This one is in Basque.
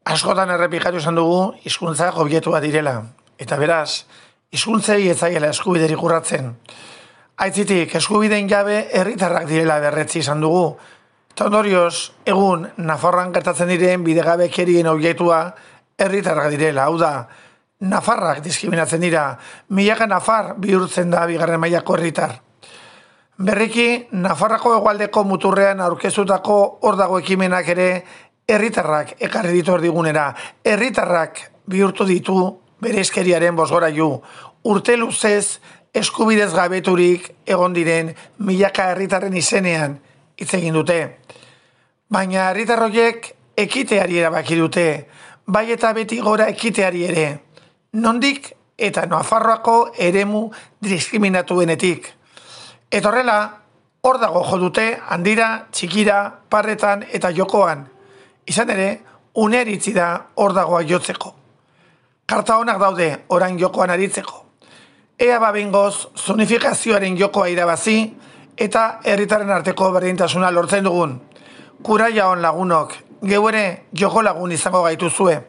Askotan errepikatu izan dugu hizkuntzak objektua direla, eta beraz, hizkuntzei ez zaiela eskubiderik urratzen. Aitzitik, eskubideen jabe herritarrak direla berretzi izan dugu, eta ondorioz, egun Nafarroan gertatzen diren bidegabekerien objektua herritarrak direla, hau da, nafarrak diskriminatzen dira, milaka nafar bihurtzen da bigarren mailako herritar. Berriki, Nafarrako hegoaldeko muturrean aurkeztutako hor dago ekimenak ere herritarrak ekarri ditu erdigunera, herritarrak bihurtu ditu bereizkeriaren bozgorailu, urte luzez eskubidez gabeturik egon diren milaka herritarren izenean hitz egin dute. Baina herritar horiek ekiteari erabaki dute, bai eta beti gora ekiteari ere, nondik eta Nafarroako eremu diskriminatuenetik. Eta horrela, hor dago jo dute handira, txikira, parretan eta jokoan. Izan ere, unea iritsi da hor dagoa jotzeko. Karta honak daude orain jokoan aritzeko. Ea behingoz zonifikazioaren jokoa irabazi eta herritarren arteko berdintasuna lortzen dugun. Kuraia on lagunok, geu ere joko lagun izango gaituzue.